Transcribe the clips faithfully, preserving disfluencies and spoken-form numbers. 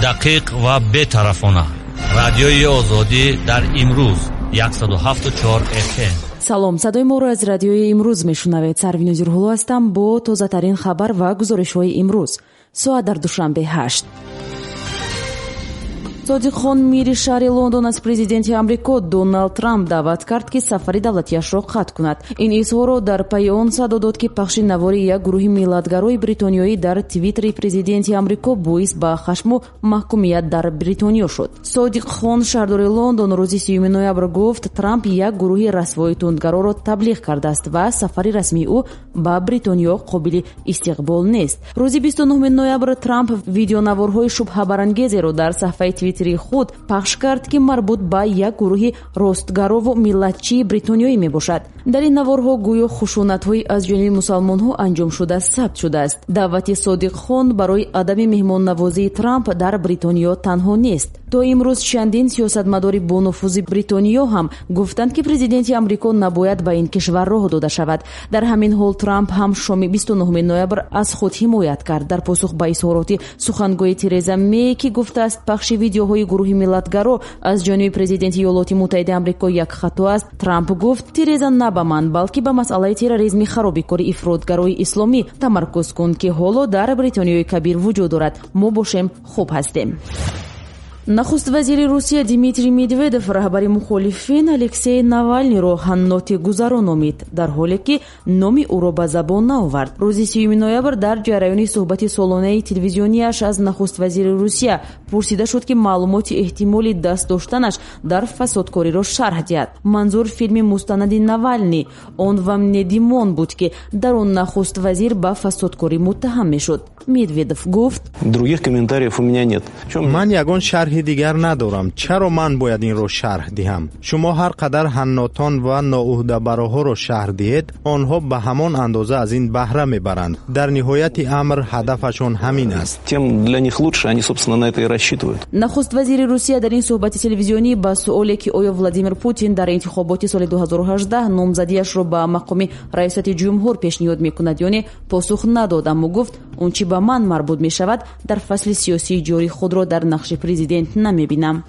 Дақиқ ва бетарафона. Радиои Озодӣ дар имрӯз яксаду ҳафту чор эф эм. Салом, садои моро аз радиои имрӯз мешунавед. Сарвиноз Зирҳулло ҳастам бо тозатарин хабар ва гузоришҳои имрӯз. Соат дар Душанбе ҳашт. Содиқхон мири шаҳри Лондон аз президенти Амрико Доналд Трамп даъват кард, ки сафари давлатияшро қатъ кунад. Ин изҳорро дар пайи он садо дод, ки пахши навори як гурӯҳи миллатгарои бритониёӣ дар твиттери президенти Амрико боис ба хашму маҳкумият дар Бритониё шуд. Содиқхон шаҳрдори Лондон рӯзи сиюми ноябр гуфт, Трамп як гурӯҳи расвои тундгароро таблиғ кардааст ва сафари расмии ӯ ба Бритониё қобили истиқбол нест. Рӯзи бисту нуҳуми ноябр Трамп видеонаворҳои шубҳабарангезеро дар саҳфаи твиттери худ пахш кард, ки марбут ба як гурӯҳи ростгарову миллатчии бритониёӣ мебошад. Дар ин наворҳо гӯё хушунатҳои аз ҷониби мусалмонҳо анҷом шуда сабт шудааст. Даъвати Содиқхон барои адами меҳмоннавозии Трамп дар Бритониё танҳо нест. То имрӯз чандин сиёсатмадори бонуфузи Бритониё ҳам гуфтанд, ки президенти Амрико набояд ба ин кишвар роҳ дода шавад. Дар ҳамин ҳол Трамп ҳам шоми бисту нуҳуми ноябр аз худ ҳимоят кард. Дар посух ба изҳороти сухангӯи Тереза Мей, ки гуфтааст пахши видеоҳои гурӯҳи миллатгаро аз ҷониби президенти Иёлоти Муттаҳидаи Амрико як хато аст, Трамп гуфт Тереза на ба ман, балки ба масъалаи терроризми харобикори ифротгарои исломӣ тамаркуз кун, ки ҳоло дар Бритониёи Кабир вуҷуд дорад. Мо бошем хуб ҳастем. Нахуст вазири Русия Дмитрий Медведев раҳбари мухолифин Алексей Навалниро ҳанноти гузаро номид, дар ҳоле ки номи ӯро ба забон наовард. Рӯзи сиюми ноябр дар ҷараёни суҳбати солонаи телевизионияш аз нахуст вазири Русия пурсида шуд, ки маълумоти эҳтимоли даст доштанаш дар фасодкориро шарҳ диҳад. Манзур филми мустанади Навални «Он вам не Димон» буд, ки дар он нахуст вазир ба фасодкорӣ муттаҳам мешуд. Медведев гуфт: Других комментариев у меня нет. Ман ягон шарҳи дигар надорам. Чаро ман бояд инро шарҳ диҳам? Шумо ҳар қадар ҳаннотон ва ноуҳдабароҳоро шарҳ диҳед, онҳо ба ҳамон андоза аз ин баҳра мебаранд. Дар ниҳояти амр ҳадафашон ҳамин аст. Тем для них лучше, они, собственно, на это и рассчитывают. Нахуст вазири Русия дар ин суҳбати телевизионӣ ба суоле, ки оё Владимир Путин дар интихоботи соли ду ҳазору ҳаждаҳ номзадиашро ба мақоми раёсати ҷумҳур пешниҳод мекунад ё не, посух надод, аммо гуфт он чӣ ба ман марбут мешавад, дар фасли сиёсии ҷорӣ худро дар нақши президент намебинам.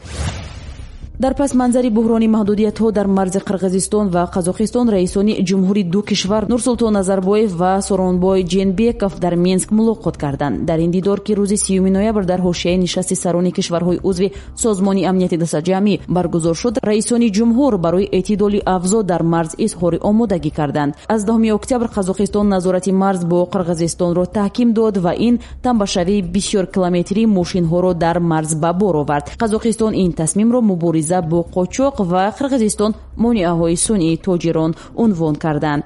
Дар пасманзари буҳрони маҳдудиятҳо дар марзи Қирғизистон ва Қазоқистон раисони ҷумҳури ду кишвар Нурсултон Назарбоев ва Соронбой Ҷенбеков дар Минск мулоқот карданд. Дар ин дидор, ки рӯзи сиюми ноябр дар ҳошияи нишасти сарони кишварҳои узви Созмони амнияти дастаҷамъӣ баргузор шуд, раисони ҷумҳур барои эътидоли авзо дар марз изҳори омодагӣ карданд. Аз даҳуми октябр Қазоқистон назорати марз бо Қирғизистонро таҳким дод ва ин тамбашавии бисёр километрии мошинҳоро дар марз ба бор овард. Қазоқистон ин тасмимро мубориза бо қочоқ ва Қирғизистон монеаҳои сунъии тоҷирон унвон карданд.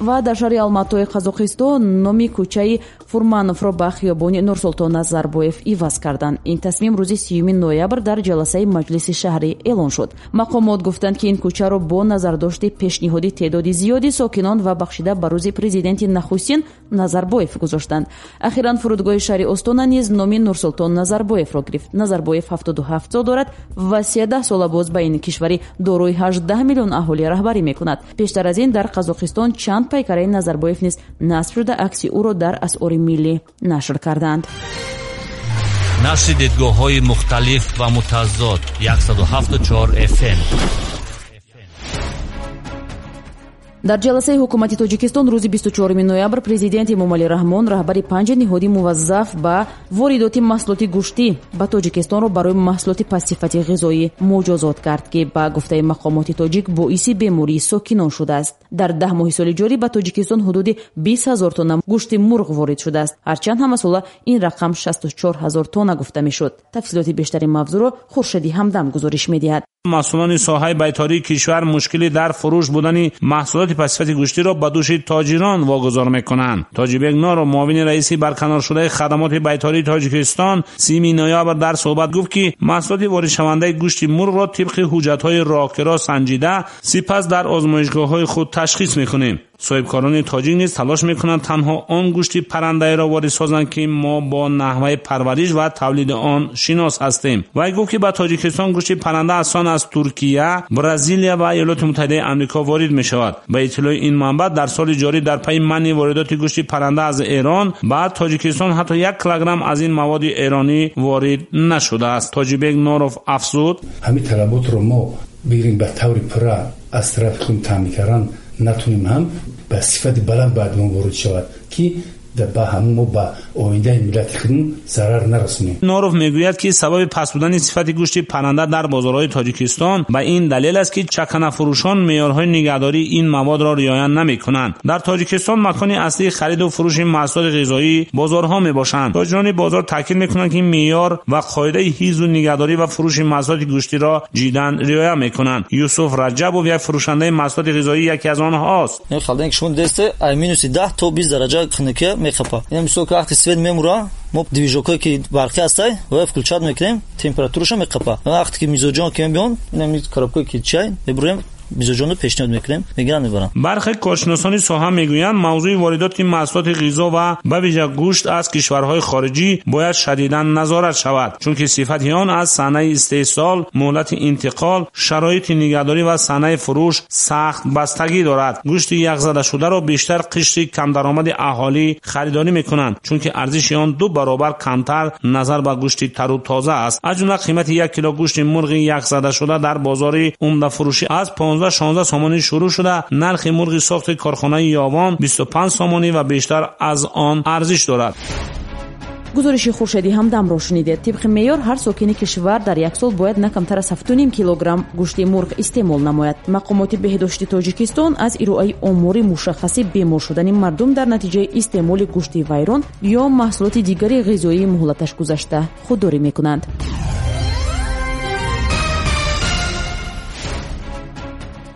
Ва дар шаҳри Алматои Қазоқистон номи кӯчаи Фурмановро ба хиёбони Нурсултон Назарбоев иваз карданд. Ин тасмим рӯзи сиюми ноябр дар ҷаласаи маҷлиси шаҳрӣ эълон шуд. Мақомот гуфтанд, ки ин кӯчаро бо назардошти пешниҳоди теъдоди зиёди сокинон ва бахшида ба рӯзи президенти нахустин Назарбоев гузоштанд. Ахиран фурудгоҳи шаҳри Остона низ номи Нурсултон Назарбоевро гирифт. Назарбоев ҳафтоду ҳафт сол дорад ва сездаҳ сола боз ба ин кишвари дорои ҳаждаҳ миллион аҳолӣ раҳбарӣ мекунад. Пештар аз ин дар Қазоқистон чанд пайкараи Назарбоев низ насб шуда, акси ӯро дар асъори миллӣ нашр карданд. Нашри дидгоҳҳои мухталиф ва мутазод яксаду ҳафту чор эф эм. Дар ҷаласаи ҳукумати Тоҷикистон рӯзи бисту чоруми ноябр президент Эмомалӣ Раҳмон раҳбари панҷ ниҳоди муваззаф ба воридоти маҳсулоти гӯштӣ ба Тоҷикистонро барои маҳсулоти пастсифати ғизоӣ муҷозот кард, ки ба гуфтаи мақомоти тоҷик боиси бемории сокинон шудааст. Дар даҳ моҳи соли ҷорӣ ба Тоҷикистон ҳудуди бист ҳазор тонна гӯшти мурғ ворид шудааст. Ҳарчанд ҳамасола ин рақам шасту чор ҳазор тонна гуфта мешуд. Тафсилоти бештари мавзӯъро Хуршеди Ҳамдам гузориш медиҳад. Масъулони соҳаи байтории кишвар мушкили дар фурӯш будани маҳсулоти пастсифати гӯштиро ба дӯши тоҷирон вогузор мекунанд. Тоҷибек Норов, муовини раиси барканоршудаи хадамоти байтории Тоҷикистон, сиюми ноябр дар суҳбат гуфт, ки маҳсулоти воридшавандаи гӯшти мурғро тибқи ҳуҷҷатҳои роҳкиро санҷида, сипас дар озмоишгоҳҳои худ ташхис мекунем. Соҳибкорони тоҷик низ талош мекунанд танҳо он гӯшти паррандаеро ворид созанд, ки мо бо наҳваи парвариш ва тавлиди он шинос ҳастем. Вай гуфт, ки ба Тоҷикистон гӯшти парранда асон аз Туркия, Бразилия ва Иёлоти Муттаҳидаи Амрико ворид мешавад. Ба иттилои ин манбаъ, дар соли ҷорӣ дар пайи манъи воридоти гӯшти парранда аз Эрон ба Тоҷикистон ҳатто як килограмм аз ин маводи эронӣ ворид нашудааст. Тоҷибек Норов афзуд: ҳамин талаботро мо бигирем ба таври пурра аз тарафи худ таъмин кардан натунем, ҳам ба сифати баланд бояд мо ворид шавад, ки ба ҳамон мо ба оиндаи миллати худмон зарар нарасонем. Норов мегӯяд, ки сабаби паст будани сифати гӯшти парранда дар бозорҳои Тоҷикистон ба ин далел аст, ки чаканафурӯшон меъёрҳои нигаҳдории ин маводро риоя намекунанд. Дар Тоҷикистон макони аслии хариду фурӯши маҳсулоти ғизоӣ бозорҳо мебошанд. Тоҷирони бозор таъкид мекунанд, ки меъёр ва қоидаи ҳифзу нигаҳдорӣ ва фурӯши маҳсулоти гӯштиро ҷиддан риоя мекунанд. Юсуф Раҷабов, як фурӯшандаи маҳсулоти ғизоӣ, яке аз онҳост. Минуси даҳ то бист дараҷа хунукия мехапа. Ин мисол ки вақти свет мемура, мо движокҳое ки барқӣ ҳастай, ва включать мекунем, температураша мехапа. Вақте ки мизоҷон ки мебиён, ин коробкое ки чай мебурем, мизоҷонро пешниҳод мекунем, мегиранд, мебаранд. Бархе коршиносони соҳа мегӯянд, мавзӯи воридоти маҳсулоти ғизо ва ба вижа гӯшт аз кишварҳои хориҷӣ бояд шадидан назорат шавад, чунки сифати он аз санаи истеҳсол, муҳлати интиқол, шароити нигаҳдорӣ ва санаи фурӯш сахт бастагӣ дорад. Гӯшти яхзадашударо бештар қишри камдаромади аҳолӣ харидорӣ мекунанд, чунки арзиши он ду баробар камтар назар ба гӯшти тару тоза аст. Аз ҷумла қимати як кило гӯшти мурғи яхзадашуда дар бозори умдафурӯшӣ аз понздаҳ шонздаҳ сомонӣ шурӯъ шуда, нархи мурғи сохти корхонаи Ёвон бисту панҷ сомонӣ ва бештар аз он арзиш дорад. Гузориши Хуршеди Ҳамдамро шунидед. Тибқи меъёр, ҳар сокини кишвар дар як сол бояд на камтар аз ҳафту ним килограмм гӯшти мурғ истеъмол намояд. Мақомоти беҳдошти Тоҷикистон аз ироаи омори мушаххаси бемор шудани мардум дар натиҷаи истеъмоли гӯшти вайрон ё маҳсулоти дигари ғизоии муҳлаташ гузашта худдорӣ мекунанд.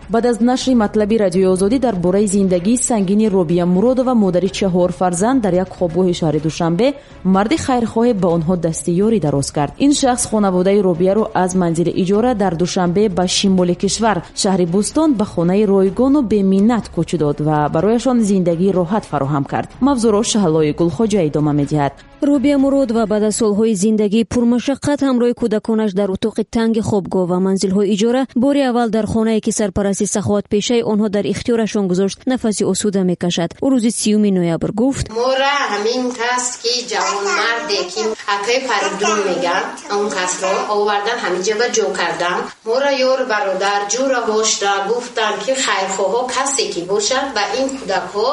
Баъд аз нашри матлаби Радиои Озодӣ дар бораи зиндагии сангини Робия Муродова, модари чаҳор фарзанд, дар як хобгоҳи шаҳри Душанбе, марди хайрхоҳе ба онҳо дасти ёрӣ дароз кард. Ин шахс хонаводаи Робияро аз манзили иҷора дар Душанбе ба шимоли кишвар, шаҳри Бӯстон, ба хонаи ройгону беминнат кӯч дод ва барояшон зиндагии роҳат фароҳам кард. Мавзӯъро Шаҳлои Гулхоҷа идома медиҳад. Робия Муродова баъд аз солҳои зиндагии пурмашаққат ҳамроҳи кӯдаконаш дар утоқи танги хобгоҳ ва манзилҳои иҷора бори аввал дар хонае ки сарпарасти саховатпешаи онҳо дар ихтиёрашон гузошт, нафаси осуда мекашад. Ӯ рӯзи сиюми ноябр гуфт: мора ҳамин кас ки ҷавонмарде ки акаи Фаридун меган, он касро овардан ҳаминҷа ба ҷо кардан. Мора ёр бародар ҷура бошда гуфтан ки хайрхоҳо касе ки бошад ба ин кӯдакҳо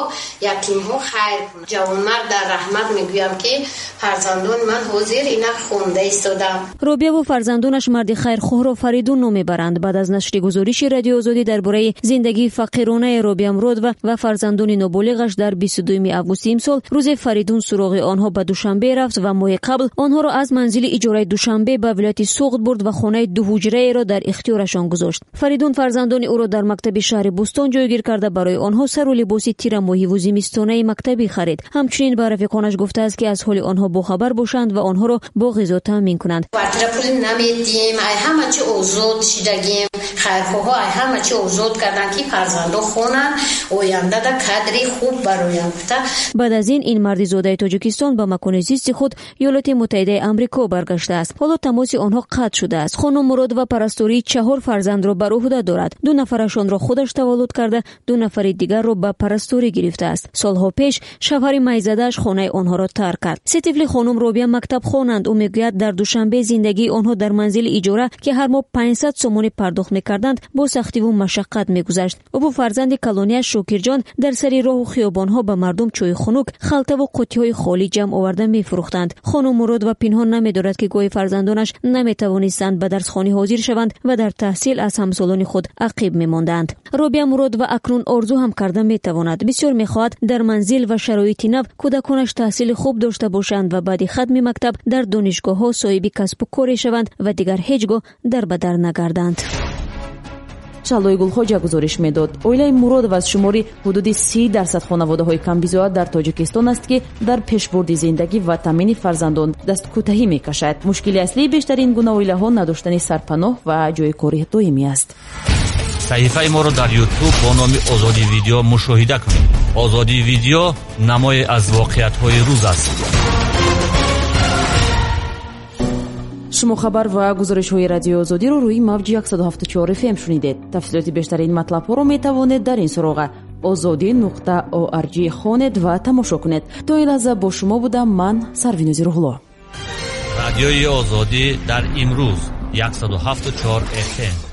ятимҳо хайр кунад. Ҷавонмард дар раҳмат мегӯям ки фарзандони ман ҳозир ина хонда истодам. Робия ва фарзандонаш марди хайрхоҳро Фаридун ном мебаранд. Баъд аз нашри гузориши Радиои Озодӣ дар бораи зиндагии фақиронаи Робия Муродова ва фарзандони ноболиғаш дар бисту дуюми августи имсол, рӯзе Фаридун суроғи онҳо ба Душанбе рафт ва моҳи қабл онҳоро аз манзили иҷораи Душанбе ба вилояти Суғд бурд ва хонаи дуҳуҷраеро дар ихтиёрашон гузошт. Фаридун фарзандони ӯро дар мактаби шаҳри Бӯстон ҷойгир карда, барои онҳо сару либоси тирамоҳиву зимистонаи мактабӣ харид. Ҳамчунин ба рафиқонаш гуфтааст, ки аз ҳоли онҳо бохабар бошанд ва онҳоро бо ғизо таъмин кунанд. Квартира пул намедиҳем, ай ҳама чи озод шидагем, хайрхоҳо ай ҳама чи озод кардан ки фарзандо хонанд, оянда да кадри хуб бароянд гуфта. Баъд аз ин ин марди зодаи Тоҷикистон ба макони зисти худ Иёлоти Муттаҳидаи Амрико баргаштааст. Ҳоло тамоси онҳо қатъ шудааст. Хонум Муродова парастории чаҳор фарзандро бар уҳда дорад. Ду нафарашонро худаш таваллуд карда, ду нафари дигарро ба парасторӣ гирифтааст. Солҳо пеш шавҳари майзадааш хонаи онҳоро тарк кард. Се тифли хонум Робия мактаб хонанд. Ӯ мегӯяд, дар Душанбе зиндагии онҳо дар манзили иҷора, ки ҳар моҳ панҷсад сомонӣ пардохт мекарданд, бо сахтиву машаққат мегузашт. Ӯ бо фарзанди калонияш Шокирҷон дар сари роҳу хиёбонҳо ба мардум чойи хунук, халтаву қуттиҳои холӣ ҷамъ оварда мефурӯхтанд. Хонум Муродова пинҳон намедорад, ки гоҳи фарзандонаш наметавонистанд ба дарсхонӣ ҳозир шаванд ва дар таҳсил аз ҳамсолони худ ақиб мемонданд. Робия Муродова акнун орзу ҳам карда метавонад. Бисёр мехоҳад дар манзил ва шароити нав кӯдаконаш таҳсили хуб дошта бошанд ва баъди хатми мактаб дар донишгоҳҳо соҳиби касбу коре шаванд ва дигар ҳеҷ гоҳ дар ба дар нагарданд. Шаҳлои Гулхоҷа гузориш медод. Оилаи Муродова аз шумори ҳудуди си дарсад хонаводаҳои камбизоат дар Тоҷикистон аст, ки дар пешбурди зиндагӣ ва таъмини фарзандон дасткӯтаҳӣ мекашад. Мушкили аслии бештари ин гуна оилаҳо надоштани сарпаноҳ ва ҷойи кори доимӣ аст. Саҳифаи моро дар YouTube бо номи Озодӣ Видео мушоҳида кунед. Озодӣ Видео намое аз воқеиятҳои рӯз аст. Шумо хабар ва гузоришҳои Радиои Озодиро рӯи мавҷи яксаду ҳафтоду чор эф эм шунидед. Тафсилоти бештари ин матлабҳоро метавонед дар ин суроға озодӣ нуқта орг хонед ва тамошо кунед. То ин лаҳза бо шумо будам ман, Сарвинози Рӯҳулло. Радиои Озодӣ дар имрӯз яксаду ҳафтоду чор эф эм.